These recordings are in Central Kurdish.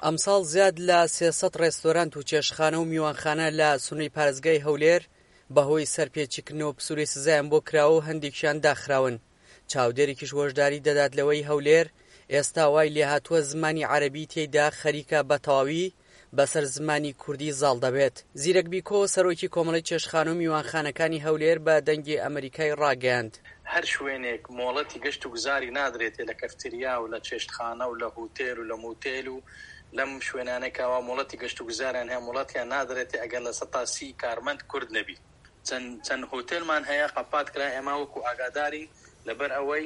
ئەمساڵ زیاد لە 300 ڕێستۆرانت و چێشتخانە و میوانخانە لە سنووری پارێزگای هەولێر بەهۆی سەرپێچیکردنەوە پسوولەی سزایان بۆ کراوە و هەندێکیان داخراون. چاودێرێکیش هۆشداری دەدات لەوەی هەولێر ئێستا وای لێهاتووە زمانی عەرەبی تێیدا خەریکە بە تەواوی بەسەر زمانی کوردی زاڵ دەبێت. زیرەک بیکۆ، سەرۆکی کۆمەڵەی چێشتخانە و میوانخانەکانی هەولێر بە دەنگی ئەمەریکای ڕاگەیاند. هەر شوێنێک مۆڵەتی گەشت و گوزاری نادرێتێ لە کەفتریا و لە چێشتخانە و لە هوتێل و لە موتێل و لەم شوێنانەی کەوا مۆڵەتی گەشت و گوزاریان هەیە مۆڵەتیان نادرێتێ ئەگەر 30% کارمەند کورد نەبی. چەند چەند هۆتێلمان هەیە قەپات کرا ئێمە وەکو ئاگادارین لەبەر ئەوەی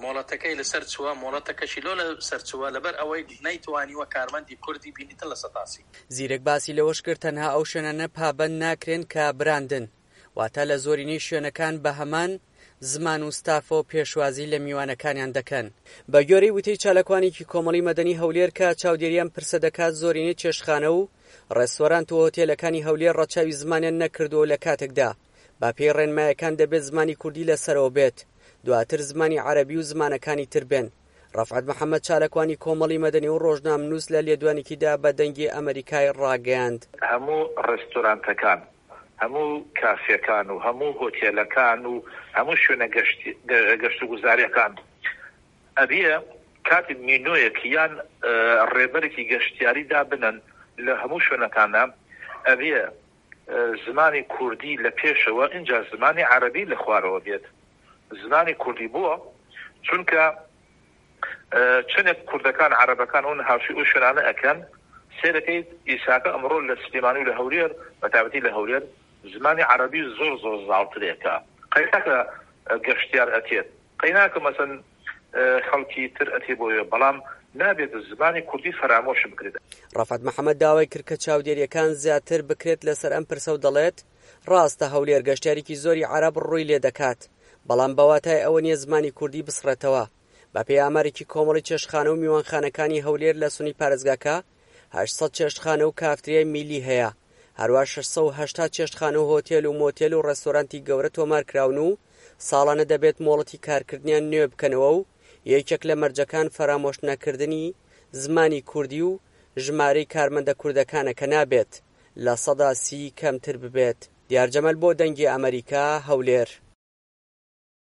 مۆڵەتەکەی لەسەر چووە مۆڵەتەکەشی لۆ لەسەر چووە لەبەر ئەوەی نەیتوانیوە کارمەندی کوردی بینیتن 30%. زیرەک باسی لەوەش کرد تەنها ئەو شوێنانە پابەند ناکرێن کە براندن، واتە لە زۆرینەی شوێنەکان بە هەمان زمان و ستافەوە پێشوازی لە میوانەکانیان دەکەن. بە گوێرەی وتەی چالاکوانێکی کۆمەڵی مەدەنی هەولێر کە چاودێری ئەم پرسە دەکات زۆرینەی چێشتخانە و ڕێستۆرانت و هۆتێلەکانی هەولێر ڕەچاوی زمانیان نەکردووە و لە کاتێکدا بە پێی ڕێنمایەکان دەبێت زمانی کوردی لە سەرەوە بێت دواتر زمانی عەرەبی و زمانەکانی تر بێن. ڕەفعەت محەمەد چالاکوانی کۆمەڵی مەدەنی و ڕۆژنامنووس لە لێدوانێکیدا بە دەنگی ئەمەریکای ڕاگەیاند. هەموو ڕێستۆرانتەکان، هەموو کافێکان و هەموو هۆتێلەکان و هەموو شوێنە گەشتوگوزارییەکان ئەبێ کاتێک مینۆیەک یان ڕێبەرێکی گەشتیاری دابنەن لە هەموو شوێنەکاندا ئەبێ زمانی کوردی لە پێشەوە ئینجا زمانی عەرەبی لە خوارەوە بێت. زمانی کوردی بۆ؟ چونکە چەنێک کوردەکان عەرەبەکان ئەون هاوشی ئەو شوێنانە ئەکەن سێرەکەیت ئیساکە ئەمڕۆ لە سلێمانی و لە هەولێر بەتایبەتی لە هەولێر زمانی عەرەبی زۆر زۆر زاڵترێکە قەیناکە گەشتیار ئەتێت قەیناکە مەسەن خەڵکی تر ئەتێ بۆیە بەڵام نابێت زمانی کوردی فەرامۆش بکرێت. ڕەفعەت محەمەد داوای کرد کە چاودێرییەکان زیاتر بکرێت لەسەر ئەم پرسە و دەڵێت، ڕاستە هەولێر گەشتیارێکی زۆری عەرەب ڕووی لێدەکات، بەڵام بە واتای ئەوە نییە زمانی کوردی بسڕێتەوە. بەپێی ئامارێکی کۆمەڵی چێشتخانە و میوانخانەکانی هەولێر لە سنووری پارێزگاکە، 800 چێشتخانە و کافتریای میللی هەیە، هەروا 680 چێشتخانە و هۆتێل و مۆتێل و ڕێستۆرانتی گەورە تۆمارکراون و ساڵانە دەبێت مۆڵەتی کارکردنیان نوێ بکەنەوە و یەکێک لە مەرجەکان فەرامۆشنەکردنی زمانی کوردی و ژمارەی کارمەندە کوردەکانە کە نابێت 30% کەمتر ببێت. دیار جەمال بۆ دەنگی ئەمەریکا، هەولێر.